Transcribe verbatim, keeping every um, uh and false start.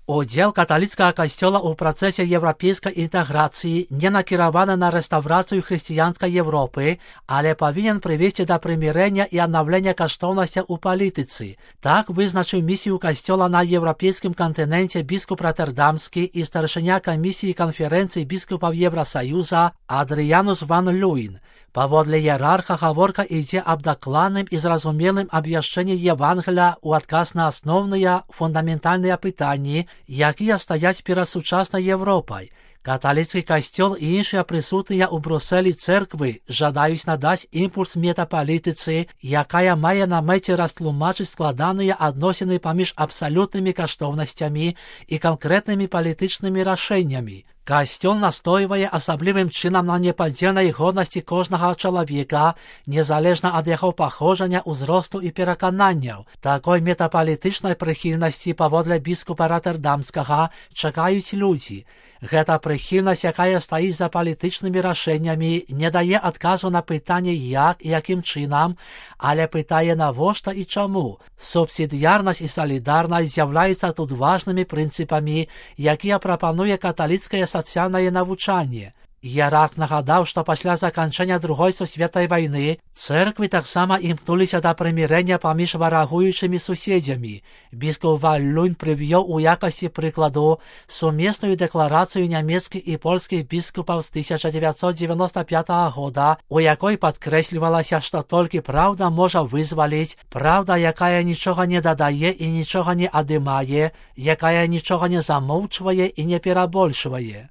Удзел каталіцкага касцёла ў працэсе еўрапейскай інтэграцыі не накіраваны на рэстаўрацыю хрысціянскай Европы, але павінен прывесці да прымірэння і аднаўлення каштоўнасцяў у палітыцы. Так вызначыў місію касцёла на еўрапейскім кантыненце біскуп Роттердамскі і старшыня камісіі канферэнцыі біскупаў Еўрасаюза Адрыянус ван Люін. Паводле іерарха гаворка ідзе аб дакладным і зразумелым абвяшчэнні Евангелія ў адказ на асноўныя фундаментальныя пытанні, якія стаяць перад сучаснай Европай. Каталіцкі касцёл і іншыя прысутныя ў Брусэлі цэрквы жадаюць надаць імпульс метапалітыцы, якая мае на мэце растлумачыць складаныя адносіны паміж абсалютнымі каштоўнасцямі і канкрэтнымі палітычнымі рашэннямі. Касцёл настойвае асаблівым чынам на непадзельнай годнасці кожнага чалавека, незалежна ад яго паходжання, узросту і перакананняў. Такой метапалітычнай прыхільнасці паводле біскупа Роттердамскага чакаюць людзі. Гэта прыхільнасць, якая стаіць за палітычнымі рашэннямі, не дае адказу на пытанне як і якім чынам, але пытае навошта і чаму. Субсідыярнасць і салідарнасць з'яўляюцца тут важнымі прынцыпамі, якія прапануе каталіцкае сацыяльнае навучанне. Іерарх нагадаў, што пасля заканчэння Другой сусветнай вайны цэрквы таксама імкнуліся да прымірэння паміж варагуючымі суседзямі. Біскуп ван Люін прывёў у якасці прыкладу сумесную дэкларацыю нямецкіх і польскіх біскупаў з тысяча дзевяцьсот дзевяноста пятага года, у якой падкрэслівалася, што толькі праўда можа вызваліць, праўда, якая нічога не дадае і нічога не адымае, якая нічога не замоўчвае і не перабольшвае.